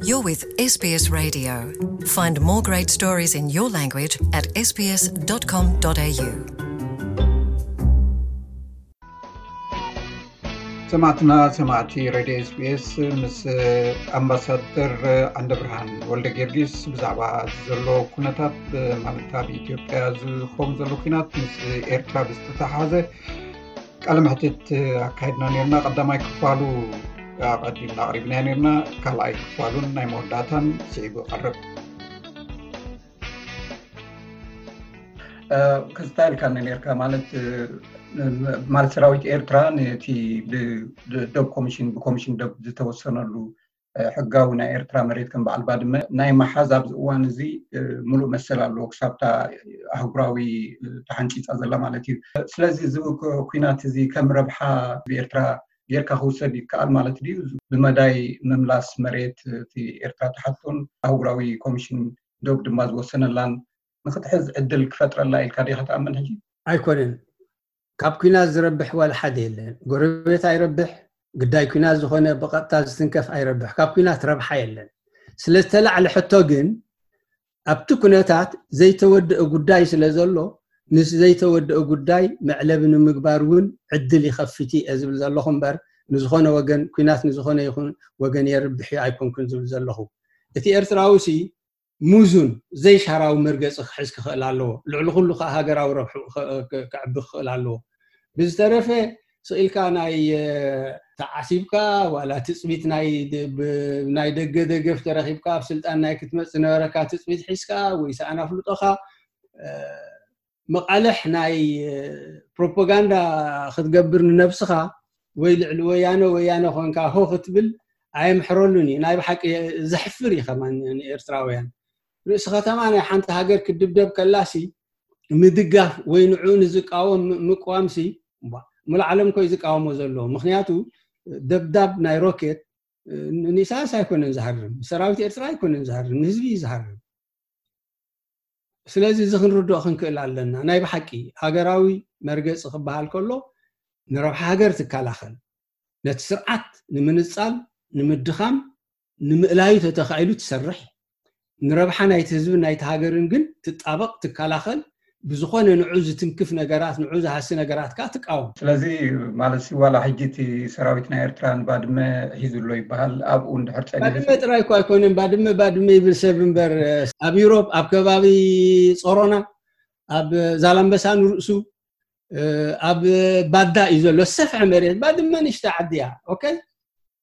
You're with S B S Radio. Find more great stories in your language at S B S dot com dot A U. ሰማዕትና ሰማዕቲ ሬድዮ ኤስቢኤስ ምስ ኣምባሳደር ዓንደ ብርሃን ወልደ ጊዮርጊስ ብዛዕባ ዘሎ ኩነታት ማለት ኣብ ኢትዮጵያ ዝኸውን ዘሎ ኩናት ምስ ኤርትራ ብዝተተሓሓዘ ቃለ መሕትት ኣካይድና ነርና። ቀዳማይ ክፋሉ ኣቐዲምና ኣቕሪብና ነርና። ካልኣይ ክፋሉን ናይ መወዳእታን ስዒቡ ይቐርብ። ክስታ ኢልካ ነርካ ማለት ማለት ሰራዊት ኤርትራ ነቲ ዶብ ኮሚሽን ብኮሚሽን ዶብ ዝተወሰነሉ ሕጋዊ ናይ ኤርትራ መሬት ከም በዓል ባድመ ናይ መሓዝ ኣብዚ እዋን እዚ ሙሉእ መሰል ኣለዎ። ክሳብታ ኣህጉራዊ ተሓንፂፃ ዘላ ማለት እዩ። ስለዚ እዚ ኩናት እዚ ከም ረብሓ ብኤርትራ ጌርካ ክውሰድ ይከኣል ማለት ድዩ? ብመዳይ ምምላስ መሬት እቲ ኤርትራ ተሓቶን ኣህጉራዊ ኮሚሽን ዶብ ድማ ዝወሰነላን ንክትሕዝ ዕድል ክፈጥረላ ኢልካ ዲኻ ትኣምን? ሕጂ ኣይኮነን። ካብ ኩናት ዝረብሕ ዋላ ሓደ የለን። ጎረቤት ኣይረብሕ፣ ግዳይ ኩናት ዝኾነ ብቐጥታ ዝትንከፍ ኣይረብሕ። ካብ ኩናት ረብሓ የለን። ስለዝተላዕለ ሕቶ ግን ኣብቲ ኩነታት ዘይተወደአ ጉዳይ ስለ ዘሎ ምስ ዘይተወደአ ጉዳይ መዕለቢ ንምግባር እውን ዕድል ይኸፍት እየ ዝብል ዘለኹ እምበር ንዝኾነ ወገን ኩናት ንዝኾነ ይኹን ወገን የርብሕ እዩ ኣይኮንኩን ዝብል ዘለኹ። እቲ ኤርትራዊ ሲ ሙዙን ዘይሻራዊ መርገፂ ክሕዝ ክኽእል ኣለዎ። ልዕሊ ኩሉ ከዓ ሃገራዊ ረብሑ ከዕቢ ክኽእል ኣለዎ። ብዝተረፈ ስኢልካ ናይ ተዓሲብካ ዋላ ትፅቢት ናይ ደገ ደገፍ ተረኪብካ ኣብ ስልጣን ናይ ክትመፅ ዝነበረካ ትፅቢት ሒዝካ ወይ ሰኣን ኣፍልጦኻ መቃልሕ ናይ ፕሮፓጋንዳ ክትገብር ንነብስኻ ወይ ልዕሊ ወያነ ወያነ ኮንካ ሆ ክትብል ኣየምሕረሉን እዩ። ናይ ብሓቂ ዘሕፍር እዩ ከማን ንኤርትራውያን። ርእሲ ከተማ ናይ ሓንቲ ሃገር ክድብደብ ከላሲ ምድጋፍ ወይ ንዕኡ ንዝቃወም ምቅዋምሲ ሙሉ ዓለም ኮይ ዝቃወሞ ዘሎ። ምክንያቱ ደብዳብ ናይ ሮኬት ንኢሳያስ ኣይኮነን ዝሃርም፣ ሰራዊት ኤርትራ ኣይኮነን ዝሃርም፣ ንህዝቢ እዩ ዝሃርም። ስለዚ እዚ ክንርድኦ ክንክእል ኣለና። ናይ ብሓቂ ሃገራዊ መርገፂ ክበሃል ከሎ ንረብሓ ሃገር ትከላኸል፣ ነቲ ስርዓት ንምንፃል ንምድኻም ንምእላዩ ተተኻኢሉ ትሰርሕ፣ ንረብሓ ናይቲ ህዝብን ናይቲ ሃገርን ግን ትጣበቕ ትከላኸል፣ ብዝኾነ ንዑ ዝትንክፍ ነገራት ንዑ ዝሃሲ ነገራት ከዓ ትቃወም። ስለዚ ማለት ዋላ ሕጂ እቲ ሰራዊት ናይ ኤርትራ ንባድመ ሒዙ ኣሎ ይበሃል። ኣብኡ እንድሕር ጸኒሑ ባድመ ጥራይ እኮ ኣይኮነን። ባድመ ባድመ ይብል ሰብ እምበር ኣብ ዩሮፕ ኣብ ከባቢ ጾሮና ኣብ ዛላምበሳ ንርእሱ ኣብ ባዳ እዩ ዘሎ። ሰፍሐ መሬት ባድመ ንሽተ ዓዲ እያ። ኦኬ፣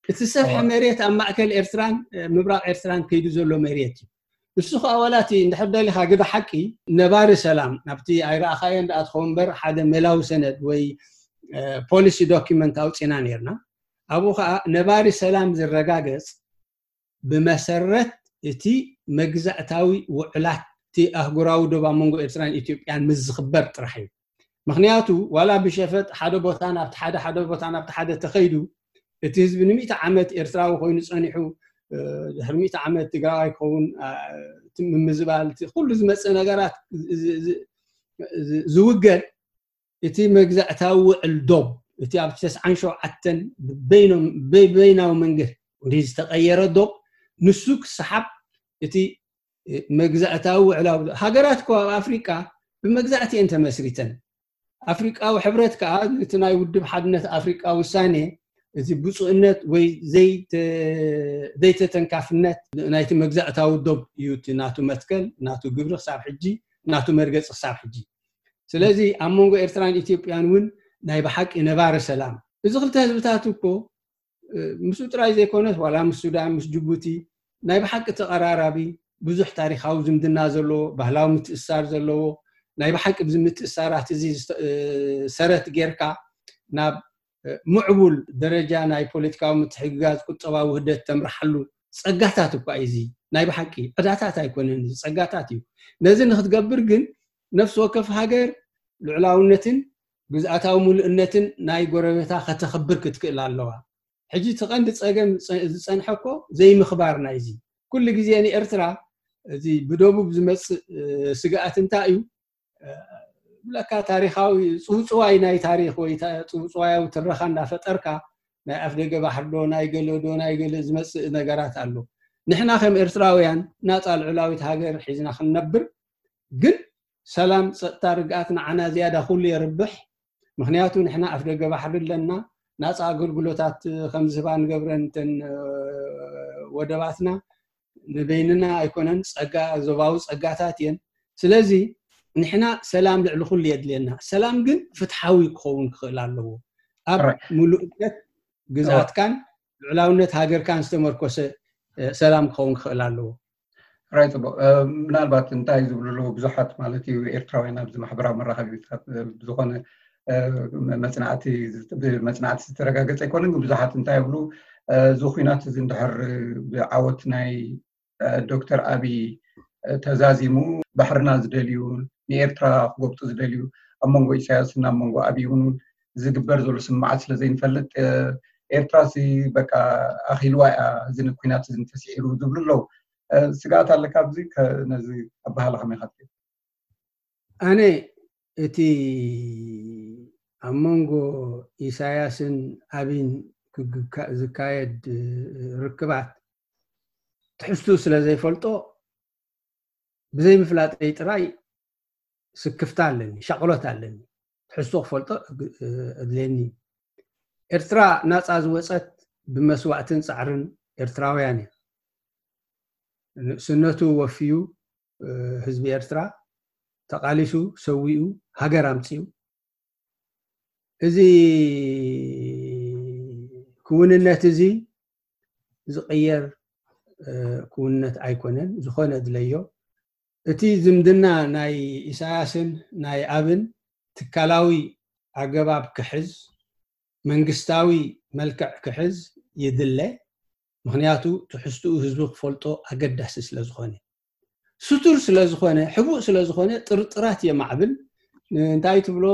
እቲ ሰፍሐ መሬት ኣብ ማእከል ኤርትራን ምብራቕ ኤርትራን ከይዱ ዘሎ መሬት እዩ። ንሱ ከዓ ዋላ እቲ እንድሕር ደሊኻ ግደ ሓቂ ነባሪ ሰላም ናብቲ ኣይረኣኻዮ እንዳ ትኸውን እምበር ሓደ መላዊ ሰነድ ወይ ፖሊሲ ዶኪመንት ኣውፂና ነርና። ኣብኡ ከዓ ነባሪ ሰላም ዝረጋገፅ ብመሰረት እቲ መግዛእታዊ ውዕላት እቲ ኣህጉራዊ ዶብ ኣብ መንጎ ኤርትራን ኢትዮጵያን ምስ ዝኽበር ጥራሕ እዩ። ምክንያቱ ዋላ ብሸፈጥ ሓደ ቦታ ናብቲ ሓደ ሓደ ቦታ ናብቲ ሓደ ተኸይዱ እቲ ህዝቢ ንሚእቲ ዓመት ኤርትራዊ ኮይኑ ጸኒሑ ድሕሪ ሚእቲ ዓመት ትግራዋይ ክኸውን ምምዝባል ኩሉ ዝመፅእ ነገራት ዝውገድ እቲ መግዛእታዊ ውዕል ዶብ እቲ ኣብ ተስዓን ሸውዓተን በይናዊ መንገዲ ዝተቀየረ ዶብ ንሱ ክሰሓብ እቲ መግዛእታዊ ውዕላዊ ሃገራት እኮ ኣብ ኣፍሪቃ ብመግዛእቲ እየን ተመስሪተን። ኣፍሪቃዊ ሕብረት ከዓ እቲ ናይ ውድብ ሓድነት ኣፍሪቃ ውሳኔ እዚ ብፁእነት ወይ ዘይተተንካፍነት ናይቲ መግዛእታዊ ዶብ እዩ እቲ ናቱ መትከል ናቱ ግብሪ ክሳብ ሕጂ ናቱ መርገፂ ክሳብ ሕጂ። ስለዚ ኣብ መንጎ ኤርትራን ኢትዮጵያን እውን ናይ ብሓቂ ነባሪ ሰላም እዚ ክልተ ህዝብታት እኮ ምስኡ ጥራይ ዘይኮነስ ዋላ ምስ ሱዳን ምስ ጅቡቲ ናይ ብሓቂ ተቐራራቢ ብዙሕ ታሪካዊ ዝምድና ዘለዎ ባህላዊ ምትእሳር ዘለዎ ናይ ብሓቂ ብዚ ምትእሳራት እዚ ሰረት ጌርካ ናብ ምዕቡል ደረጃ ናይ ፖለቲካዊ ምትሕግጋዝ ቁጠባዊ ውህደት ተምርሓሉ ጸጋታት እኳ እዩ። እዚ ናይ ብሓቂ ዕዳታት ኣይኮነን፣ እዚ ጸጋታት እዩ። ነዚ ንክትገብር ግን ነፍሲ ወከፍ ሃገር ልዑላውነትን ግዝኣታዊ ሙሉእነትን ናይ ጎረቤታ ከተኽብር ክትክእል ኣለዋ። ሕጂ እቲ ቀንዲ ጸገም ዝጸንሐ እኮ ዘይምኽባር ናይዚ ኩሉ ግዜ ንኤርትራ እዚ ብደቡብ ዝመጽእ ስግኣት እንታይ እዩ? ብለካ ታሪካዊ ጽውጽዋይ ናይ ታሪክ ወይ ጽውጽዋያዊ ትረኻ እንዳፈጠርካ ናይ ኣፍደገ ባሕሪ ዶ ናይ ገለ ዶ ናይ ገለ ዝመጽእ ነገራት ኣሎ። ንሕና ከም ኤርትራውያን ናፃ ልዑላዊት ሃገር ሒዝና ክንነብር ግን ሰላም፣ ፀጥታ፣ ርግኣት ንዓና ዝያዳ ኩሉ የርብሕ። ምክንያቱ ንሕና ኣፍ ደገ ባሕሪ ኣለና። ናፃ ኣገልግሎታት ከም ዝህባ ንገብረን እተን ወደባትና ንበይንና ኣይኮነን፣ ፀጋ፣ ዞባዊ ፀጋታት እየን። ስለዚ ንሕና ሰላም ልዕሊ ኩሉ የድልየና። ሰላም ግን ፍትሓዊ ክኸውን ክኽእል ኣለዎ። ኣብ ሙሉእነት ግዝኣትካን ልዑላውነት ሃገርካን ዝተመርኮሰ ሰላም ክኸውን ክኽእል ኣለዎ። ራይ ፅቡቅ። ምናልባት እንታይ ዝብሉ ኣለዉ ብዙሓት ማለት እዩ ኤርትራውያን ኣብዚ ማሕበራዊ መራኸቢታት ብዝኾነ መፅናዕቲ መፅናዕቲ ዝተረጋገፀ ኣይኮነን፣ ግን ብዙሓት እንታይ ይብሉ፣ እዚ ኩናት እዚ እንድሕር ብዓወት ናይ ዶክተር ኣብይ ተዛዚሙ፣ ባሕርና ዝደልዩ፣ ንኤርትራ ክጎብጡ ዝደልዩ፣ ኣብ መንጎ ኢሳያስን ኣብ መንጎ ኣብይ እውን ዝግበር ዘሎ ስምዓት ስለ ዘይንፈልጥ፣ ኤርትራ ሲ በቃ ኣኺልዋ እያ፣ እዚ ኩናት እዚ እንተስዒሩ ዝብሉ ኣለዉ። ስግኣት ኣለካ ኣብዚ? ነዚ ኣበሃህላ ከመይ ኢኻ ትሪኦ? ኣነ እቲ ኣብ መንጎ ኢሳያስን ኣብይን ዝካየድ ርክባት ትሕዝትኡ ስለ ዘይፈልጦ፣ ብዘይምፍላጠይ ጥራይ ስክፍታ ኣለኒ፣ ሻቕሎት ኣለኒ። ትሕዝቶ ክፈልጦ እድልየኒ። ኤርትራ ናፃ ዝወፀት ብመስዋእትን ፃዕርን ኤርትራውያን እያ። ንእስነቱ ወፍዩ ህዝቢ ኤርትራ ተቓሊሱ፣ ሰዊኡ፣ ሃገር ኣምፂኡ። እዚ ክውንነት እዚ ዝቕየር ክውንነት ኣይኮነን። ዝኾነ ድለዮ፣ እቲ ዝምድና ናይ ኢሳያስን ናይ ኣብን ትካላዊ ኣገባብ ክሕዝ፣ መንግስታዊ መልክዕ ክሕዝ ይድለ። ምክንያቱ ትሕዝትኡ ህዝቢ ክፈልጦ ኣገዳሲ ስለ ዝኾነ፣ ስቱር ስለ ዝኾነ፣ ሕቡእ ስለ ዝኾነ ጥርጥራት የማዕብል። እንታይ ትብሎ፣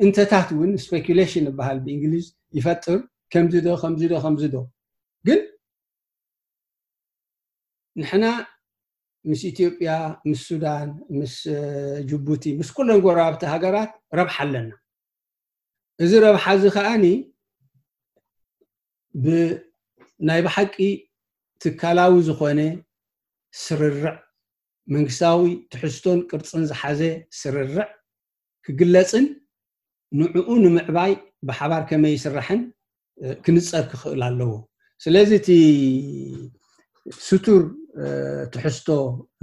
እንተታት እውን ስፔኩሌሽን ይበሃል ብእንግሊዝ፣ ይፈጥር። ከምዚ ዶ ከምዚ ዶ ከምዚ ዶ ግን ንሕና ምስ ኢትዮጵያ፣ ምስ ሱዳን፣ ምስ ጅቡቲ፣ ምስ ኩለን ጎረባብቲ ሃገራት ረብሓ ኣለና። እዚ ረብሓ እዚ ከዓኒ ብናይ ብሓቂ ትካላዊ ዝኾነ ስርርዕ፣ መንግስታዊ ትሕዝቶን ቅርፅን ዝሓዘ ስርርዕ ክግለፅን ንዕኡ ንምዕባይ ብሓባር ከመይ ይስራሕን ክንፀር ክኽእል ኣለዎ። ስለዚ እቲ ስቱር ትሕዝቶ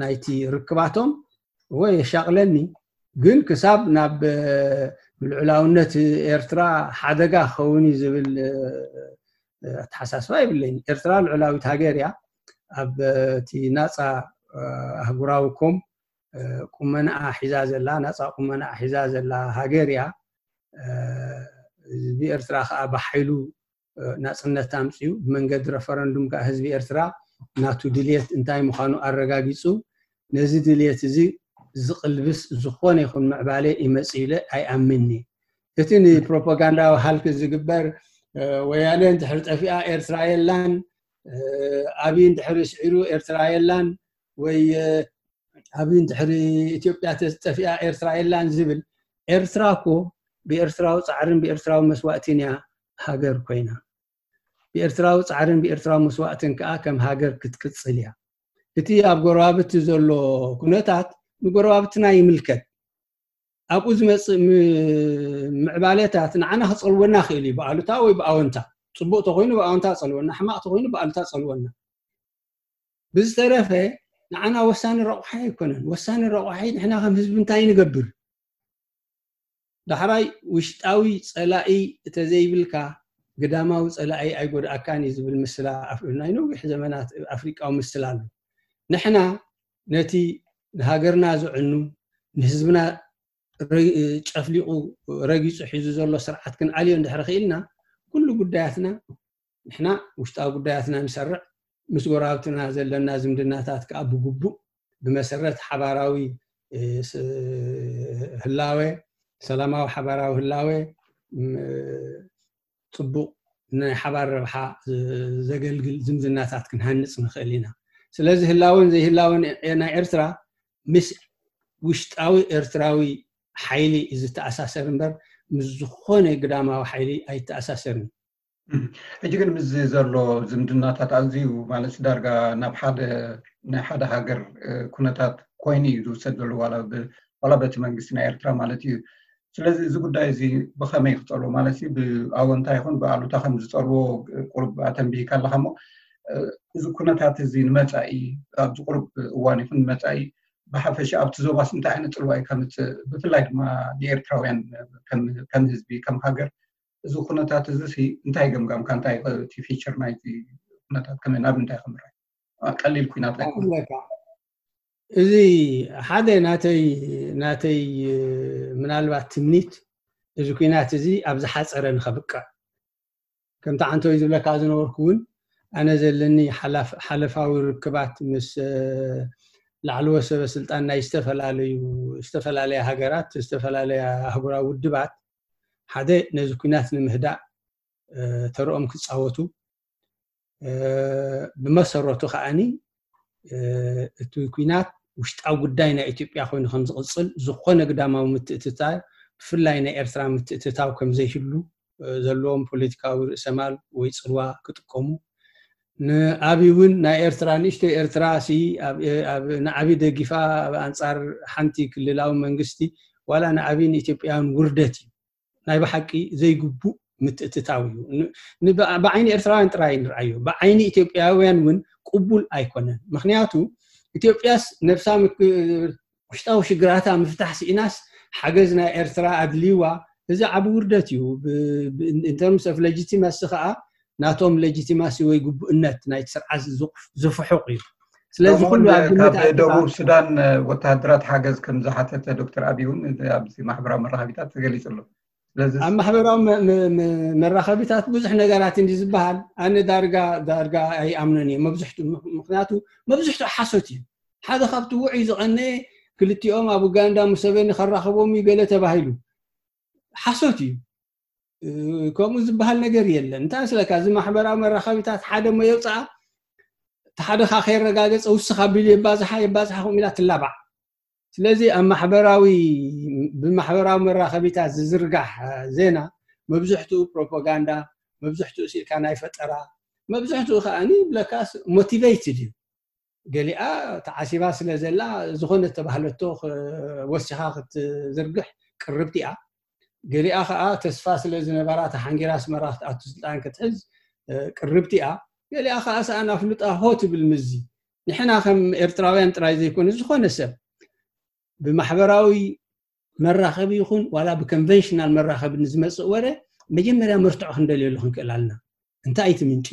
ናይቲ ርክባቶም ወይ የሻቕለኒ፣ ግን ክሳብ ናብ ልዑላውነት ኤርትራ ሓደጋ ክኸውን እዩ ዝብል ኣተሓሳስባ የብለይን። ኤርትራ ልዑላዊት ሃገር እያ። ኣብ እቲ ናፃ ኣህጉራዊ ኮም ቁመናኣ ሒዛ ዘላ፣ ናፃ ቁመናኣ ሒዛ ዘላ ሃገር እያ። ህዝቢ ኤርትራ ከዓ ብሓይሉ ናፅነት ኣምፅኡ፣ ብመንገዲ ረፈረንዱም ከዓ ህዝቢ ኤርትራ ናቱ ድልየት እንታይ ምዃኑ ኣረጋጊፁ። ነዚ ድልየት እዚ ዝቕልብስ ዝኾነ ይኹን ምዕባለ ይመፅእ ኢለ ኣይኣምንኒ። እቲ ንፕሮፓጋንዳዊ ሃልክ ዝግበር፣ ወያነ እንድሕር ጠፊኣ ኤርትራ የላን፣ ኣብይ እንድሕር ስዒሩ ኤርትራ የላን፣ ወይ ኣብይ እንድሕር ኢትዮጵያ ተጠፊኣ ኤርትራ የላን ዝብል፣ ኤርትራ እኮ ብኤርትራዊ ፃዕርን ብኤርትራዊ መስዋእትን እያ ሃገር ኮይና። ብኤርትራዊ ፃዕርን ብኤርትራዊ መስዋእትን ከዓ ከም ሃገር ክትቅፅል እያ። እቲ ኣብ ጎረባብቲ ዘሎ ኩነታት ንጎረባብትና ይምልከት። ኣብኡ ዝመፅእ ምዕባለታት ንዓና ክፀልወና ክእል እዩ፣ ብኣሉታ ወይ ብኣወንታ። ፅቡቅ ተኮይኑ ብኣወንታ ፀልወና፣ ሕማቅ ተኮይኑ ብኣሉታ ፀልወና። ብዝተረፈ ንዓና ወሳኒ ረቑሓ ኣይኮነን። ወሳኒ ረቑሓ ንሕና ከም ህዝቢ እንታይ ንገብር? ዳሕራይ ውሽጣዊ ፀላኢ እተዘይብልካ ግዳማዊ ፀላኢ ኣይጎድኣካን እዩ ዝብል ምስላ ናይ ነዊሕ ዘመናት ኣፍሪቃዊ ምስላ ኣሎ። ንሕና ነቲ ንሃገርና ዝዕኑ፣ ንህዝብና ጨፍሊቑ ረጊፁ ሒዙ ዘሎ ስርዓት ክንኣልዮ እንድሕር ክኢልና፣ ኩሉ ጉዳያትና ንሕና ውሽጣዊ ጉዳያትና ንሰርዕ፣ ምስ ጎረባብትና ዘለና ዝምድናታት ከዓ ብግቡእ ብመሰረት ሓባራዊ ህላወ፣ ሰላማዊ ሓባራዊ ህላወ፣ ፅቡቕ ናይ ሓባር ረብሓ ዘገልግል ዝምድናታት ክንሃንፅ ንኽእል ኢና። ስለዚ ህላወን ዘይህላወን ናይ ኤርትራ ምስ ውሽጣዊ ኤርትራዊ ሓይሊ እዩ ዝተኣሳሰር እምበር ምስ ዝኾነ ግዳማዊ ሓይሊ ኣይተኣሳሰርን። ሕጂ ግን ምስ ዘሎ ዝምድናታት ኣዝዩ ማለት ዳርጋ ናብ ሓደ ናይ ሓደ ሃገር ኩነታት ኮይኑ እዩ ዝውሰድ ዘሎ ዋላ በቲ መንግስቲ ናይ ኤርትራ ማለት እዩ። ስለዚ እዚ ጉዳይ እዚ ብኸመይ ክፀልዎ ማለት እዩ ብኣወንታ ይኹን ብኣሉታ ከም ዝፀልዎ ቁሩብ ኣተንቢሂካ ኣለካ እሞ እዚ ኩነታት እዚ ንመፃኢ ኣብዚ ቁሩብ እዋን ይኹን ንመፃኢ ብሓፈሻ ኣብቲ ዞባስ እንታይ ዓይነት ፅልዋ እዩ ከምፅእ ብፍላይ ድማ ንኤርትራውያን ከም ህዝቢ ከም ሃገር እዚ ኩነታት እዚ እንታይ ገምጋምካ እንታይ እቲ ፊቸር ናይቲ ኩነታት ከመይ ናብ እንታይ ከምርሕ ቀሊል ኩናት ኣይኮነካ እዚ ሓደ ናተይ ናተይ ምናልባት ትምኒት እዚ ኩናት እዚ ኣብ ዝሓፀረ ንኸብቅዕ ከምቲ ዓንተወይ ዝብለካ ዝነበርኩ እውን ኣነ ዘለኒ ሓለፋዊ ርክባት ምስ ላዕለዎ ሰበ ስልጣን ናይ ዝተፈላለዩ ዝተፈላለያ ሃገራት ዝተፈላለያ ኣህጉራዊ ውድባት ሓደ ነዚ ኩናት ንምህዳእ ተርኦም ክፃወቱ ብመሰረቱ ከዓኒ እቲ ኩናት ውሽጣዊ ጉዳይ ናይ ኢትዮጵያ ኮይኑ ከም ዝቕፅል ዝኾነ ግዳማዊ ምትእትታው ብፍላይ ናይ ኤርትራ ምትእትታው ከም ዘይህሉ ዘለዎም ፖለቲካዊ ርእሰማል ወይ ፅልዋ ክጥቀሙ ንኣብይ እውን ናይ ኤርትራ ንእሽቶ ኤርትራ ንኣብይ ደጊፋ ኣብ ኣንፃር ሓንቲ ክልላዊ መንግስቲ ዋላ ንኣብይ ንኢትዮጵያውያን ውርደት እዩ ናይ ብሓቂ ዘይግቡእ ምትእትታው እዩ ብዓይኒ ኤርትራውያን ጥራይ ንርኣዮ ብዓይኒ ኢትዮጵያውያን እውን ቅቡል ኣይኮነን ምክንያቱ ኢትዮጵያስ ነብሳ ውሽጣዊ ሽግራታ ምፍታሕ ስኢናስ ሓገዝ ናይ ኤርትራ ኣድልይዋ እዚ ዓብ ውርደት እዩ in terms of legitimacy ከዓ ናቶም legitimacy ወይ ግቡእነት ናይቲ ስርዓት ዝፍሑቕ እዩ ስለዚ ኩሉ ኣብ ግምት ካብ ደቡብ ሱዳን ወተሃደራት ሓገዝ ከም ዝሓተተ ዶክተር ኣብይ እውን ኣብዚ ማሕበራዊ መራኸቢታት ተገሊጹ ኣሎ ስለዚ ኣብ ማሕበራዊ መራኸቢታት ብዙሕ ነገራት እንዲ ዝበሃል ኣነ ዳርጋ ዳርጋ ኣይኣምነን እየ መብዝሕቱ ምክንያቱ መብዝሕቱ ሓሶት እዩ ሓደ ካብቲ ውዑይ ዝቐነየ ክልቲኦም ኣብ ኡጋንዳ ሙሰቬኒ ከራኸቦም እዩ ገለ ተባሂሉ ሓሶት እዩ ከምኡ ዝበሃል ነገር የለን እንታይ ስለካ እዚ ማሕበራዊ መራኸቢታት ሓደ ሞ የውፅኣ እቲ ሓደኻ ከየረጋገፀ ውስኻ ቢሉ የባዝሓ የባዝሓ ከምኡ ኢላ ትላባዕ ስለዚ ኣብ ማሕበራዊ ብማሕበራዊ መራኸቢታት ዝዝርጋሕ ዜና መብዝሕትኡ ፕሮፓጋንዳ መብዝሕትኡ ሲልካ ናይ ፈጠራ መብዝሕትኡ ከዓ ብለካስ motivated እዩ ገሊኣ ተዓሲባ ስለ ዘላ ዝኾነ ተባህለቶ ወሲኻ ክትዝርግሕ ቅርብቲ እያ ገሊኣ ከዓ ተስፋ ስለ ዝነበራ ተሓንጊራ ኣስመራ ክትኣቱ ስልጣን ክትሕዝ ቅርብቲ እያ ገሊኣ ከዓ ሰኣን ኣፍልጣ ሆ ትብል ምዚ ንሕና ከም ኤርትራውያን ጥራይ ዘይኮነ ዝኾነ ሰብ ብማሕበራዊ መራኸቢ ይኹን ዋላ ብኮንቨንሽናል መራኸቢ ንዝመፅእ ወረ መጀመርያ መርትዖ ክንደልየሉ ክንክእል ኣለና እንታይ እቲ ምንጪ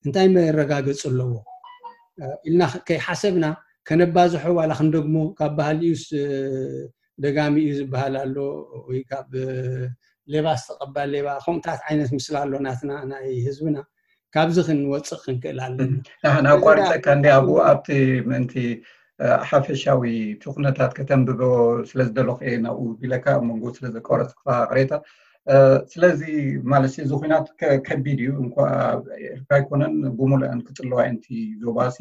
እንታይ መረጋገፂ ኣለዎ ኢልና ከይሓሰብና ከነባዝሖ ዋላ ክንደግሞ ካብ ባህሊኡስ ደጋሚ እዩ ዝበሃል ኣሎ ወይ ካብ ሌባ ዝተቐባል ሌባ ከምኡታት ዓይነት ምስላ ኣሎ ናትና ናይ ህዝብና ካብዚ ክንወፅእ ክንክእል ኣለና ኣቋሪፀካ እንዲ ኣብኡ ኣብቲ ምእንቲ ሓፈሻዊ እቲ ኩነታት ከተንብቦ ስለዝደለኹ እየ ናብኡ ቢለካ ኣብ መንጎ ስለዘቋረፅኩካ ቅሬታ ስለዚ ማለት እዚ ኩናት ከቢድ እዩ እንኳ ኤርትራ ኣይኮነን ብሙሉአን ክፅለዋ እንቲ ዞባሲ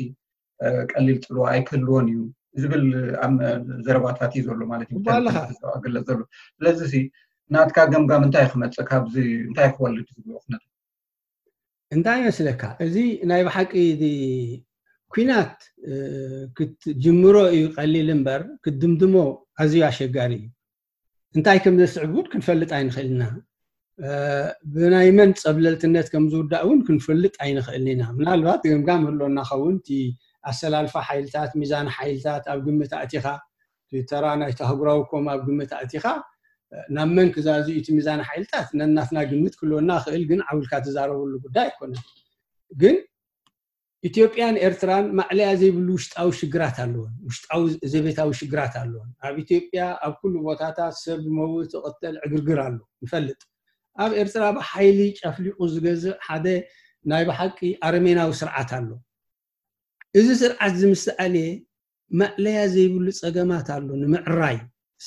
ቀሊል ፅልዋ ኣይክህልዎን እዩ ዝብል ዘረባታት እዩ ዘሎ ማለት እዩ ስለዚ ናትካ ገምጋም እንታይ ክመፅእ ካብዚ እንታይ ክወልድ ዝብሎ ኩነታት እንታይ ይመስለካ እዚ ናይ ብሓቂ ኩናት ክትጅምሮ እዩ ቀሊል እምበር ክትድምድሞ ኣዝዩ ኣሸጋሪ እዩ እንታይ ከም ዘስዕብ እውን ክንፈልጥ ኣይንኽእል ኢና ብናይ መን ፀብለልትነት ከም ዝውዳእ እውን ክንፈልጥ ኣይንኽእል ኢና ምናልባት ገምጋም ህሎና ኸውን እቲ ኣሰላልፋ ሓይልታት ሚዛን ሓይልታት ኣብ ግምት ኣእቲኻ ተራ ናይ ተህጉራዊ ኮም ኣብ ግምት ኣእቲኻ ናብ መን ክዛዝዩ እቲ ሚዛን ሓይልታት ነናትና ግምት ክህልወና ክእል ግን ዓውልካ ትዛረበሉ ጉዳይ ኣይኮነን ግን ኢትዮጵያን ኤርትራን ማዕለያ ዘይብሉ ውሽጣዊ ሽግራት ኣለዎን ውሽጣዊ ዘቤታዊ ሽግራት ኣለዎን ኣብ ኢትዮጵያ ኣብ ኩሉ ቦታታት ሰብ መውት ቅተል ዕግርግር ኣሎ ንፈልጥ ኣብ ኤርትራ ብሓይሊ ጨፍሊቁ ዝገዝእ ሓደ ናይ ብሓቂ ኣረሜናዊ ስርዓት ኣሎ እዚ ስርዓት ዝምስኣልየ ማእለያ ዘይብሉ ጸገማት ኣሎ ንምዕራይ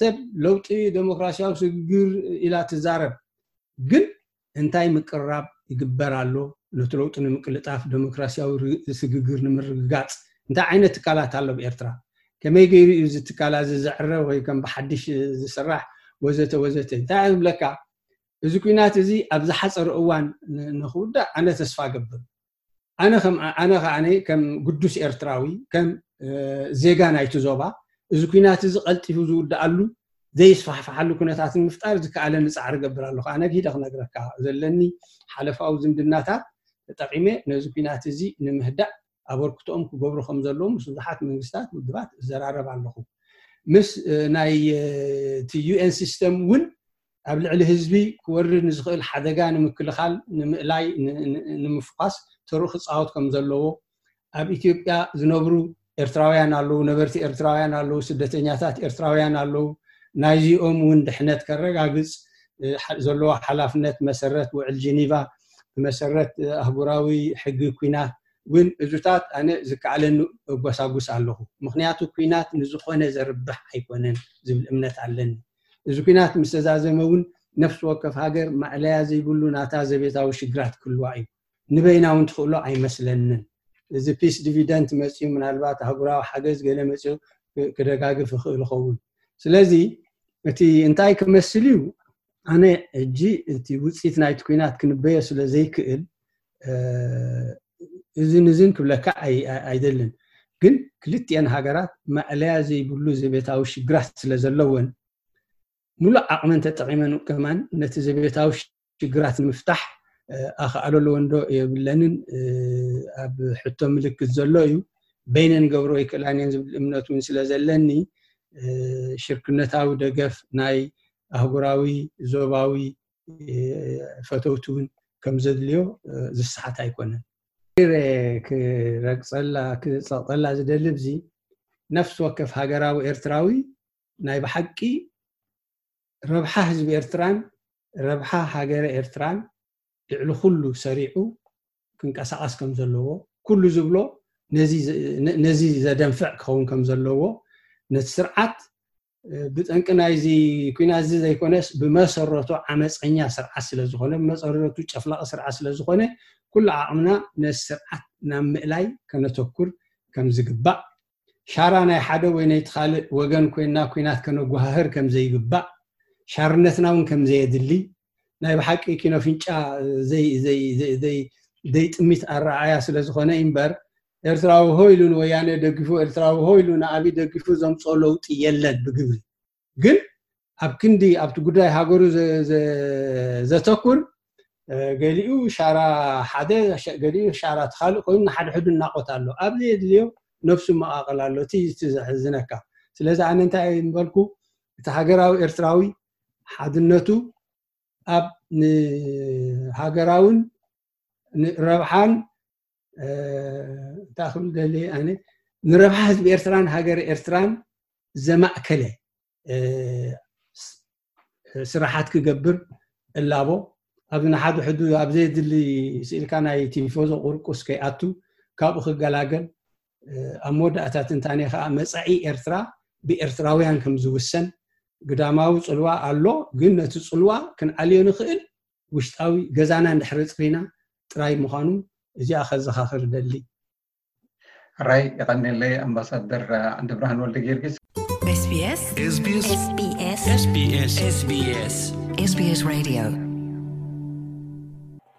ሰብ ለውጢ ዴሞክራሲያዊ ስግግር ኢላ ትዛረብ ግን እንታይ ምቅርራብ ይግበር ኣሎ ነቲ ለውጢ ንምቅልጣፍ ዴሞክራሲያዊ ስግግር ንምርግጋጽ እንታይ ዓይነት ትካላት ኣሎ ኣብ ኤርትራ ከመይ ገይሩ እዩ እዚ ትካላ እዚ ዘዕረ ወይ ከም ብሓድሽ ዝስራሕ ወዘተ ወዘተ እንታይ ዝብለካ እዚ ኩናት እዚ ኣብ ዝሓፀረ እዋን ንክውዳእ ኣነ ተስፋ ገብር። ኣነ ከም ኣነ ከዓነ ከም ግዱስ ኤርትራዊ ከም ዜጋ ናይቲ ዞባ እዚ ኩናት እዚ ቀልጢፉ ዝውድኣሉ ዘይስፋሕፍሓሉ ኩነታት ንምፍጣር ዝከኣለኒ ፃዕሪ ገብር ኣለኹ። ኣነ ግሂደ ክነግረካ ዘለኒ ሓለፋዊ ዝምድናታት ተጠቂመ ነዚ ኩናት እዚ ንምህዳእ ኣበርክቶኦም ክገብሩ ከም ዘለዎም ምስ ብዙሓት መንግስታት ውድባት እዘራረብ ኣለኹ። ምስ ናይ እቲ ዩኤን ሲስተም እውን ኣብ ልዕሊ ህዝቢ ክወርድ ንዝኽእል ሓደጋ ንምክልኻል ንምእላይ ንምፍኳስ ተርኡ ክፃወት ከም ዘለዎ ኣብ ኢትዮጵያ ዝነብሩ ኤርትራውያን ኣለዉ፣ ነበርቲ ኤርትራውያን ኣለዉ፣ ስደተኛታት ኤርትራውያን ኣለዉ። ናይዚኦም እውን ድሕነት ከረጋግፅ ዘለዎ ሓላፍነት መሰረት ውዕል ጀኒቫ ብመሰረት ኣህጉራዊ ሕጊ ኩናት እውን እዙታት ኣነ ዝከኣለኒ እጎሳጉስ ኣለኹ። ምክንያቱ ኩናት ንዝኾነ ዘርብሕ ኣይኮነን ዝብል እምነት ኣለኒ። እዚ ኩናት ምስ ተዛዘመ እውን ነፍሲ ወከፍ ሃገር ማእለያ ዘይብሉ ናታ ዘቤታዊ ሽግራት ክህልዋ እዩ። ንበይና እውን ትኽእሎ ኣይመስለንን። እዚ ፒስ ዲቪደንት መፅኡ ምናልባት ኣህጉራዊ ሓገዝ ገለ መፅኡ ክደጋግፍ ይኽእል ይኸውን። ስለዚ እቲ እንታይ ክመስል እዩ ኣነ እጂ እቲ ውፅኢት ናይቲ ኩናት ክንበዮ ስለ ዘይክእል እዝን እዝን ክብለካ ኣይደልን። ግን ክልቲኤን ሃገራት ማእለያ ዘይብሉ ዘቤታዊ ሽግራት ስለ ዘለወን ሙሉእ ዓቕመን ተጠቒመን ከማን ነቲ ዘቤታዊ ሽግራት ንምፍታሕ ኣኽኣሎ ኣለወን ዶ የብለንን ኣብ ሕቶ ምልክት ዘሎ እዩ። በይነን ገብሮ ይክእላን እየን ዝብል እምነት እውን ስለ ዘለኒ ሽርክነታዊ ደገፍ ናይ ኣህጉራዊ ዞባዊ ፈተውቲ እውን ከም ዘድልዮ ዝሰሓት ኣይኮነን። ክረግፀላ ክፀቕጠላ ዝደሊ ብዚ ነፍሲ ወከፍ ሃገራዊ ኤርትራዊ ናይ ብሓቂ ረብሓ ህዝቢ ኤርትራን ረብሓ ሃገረ ኤርትራን ልዕሊ ኩሉ ሰሪዑ ክንቀሳቐስ ከም ዘለዎ ኩሉ ዝብሎ ነዚ ዘደንፍዕ ክኸውን ከም ዘለዎ ነቲ ስርዓት ብጠንቂ ናይዚ ኩናት እዚ ዘይኮነስ ብመሰረቱ ዓመፀኛ ስርዓት ስለ ዝኾነ ብመሰረቱ ጨፍላቂ ስርዓት ስለ ዝኾነ ኩሉ ዓቕምና ነዚ ስርዓት ናብ ምእላይ ከነተኩር ከም ዝግባእ ሻራ ናይ ሓደ ወይ ናይቲ ካልእ ወገን ኮይና ኩናት ከነጓሃህር ከም ዘይግባእ ሻርነትና እውን ከም ዘየድሊ ናይ ብሓቂ ኪኖ ፍንጫ ዘይጥሚት ኣረኣያ ስለ ዝኾነ እምበር ኤርትራዊ ሆ ኢሉ ንወያነ ደጊፉ ኤርትራዊ ሆ ኢሉ ንኣብይ ደጊፉ ዘምፅኦ ለውጢ የለን ብግብሪ። ግን ኣብ ክንዲ ኣብቲ ጉዳይ ሃገሩ ዘተኩር ገሊኡ ሻራ ሓደ ገሊኡ ሻራ ትኻልእ ኮይኑ ንሓድሕዱ እናቆት ኣሎ ኣብ ዘየድልዮ ነፍሱ መቃቀል ኣሎ እቲ ዘሕዝነካ። ስለዚ ኣነ እንታይ ምበልኩ እቲ ሃገራዊ ኤርትራዊ ሓድነቱ ኣብ ንሃገራውን ንረብሓን እንታይ ክብል ደሊ ኣነ ንረብሓ ህዝቢ ኤርትራን ሃገር ኤርትራን ዘማእከለ ስራሓት ክገብር እላቦ ኣብዚ ንሓድሕዱ ኣብ ዘየድሊ ስኢልካ ናይ ቲፎዞ ቁርቁስ ከይኣቱ ካብኡ ክገላገል ኣብ መወዳእታ ትንታኔ ከዓ መፃኢ ኤርትራ ብኤርትራውያን ከም ዝውሰን ግዳማዊ ፅልዋ ኣሎ ግን ነቲ ፅልዋ ክንዓልዮ ንኽእል ውሽጣዊ ገዛና እንድሕሪ ፅሪና ጥራይ ምዃኑ እዚኣ ከዘኻኽር ደሊ። ራይ የቐንየለይ ኣምባሳደር ዓንደብርሃን ወልደ ጊዮርጊስ። SBS SBS SBS SBS SBS SBS Radio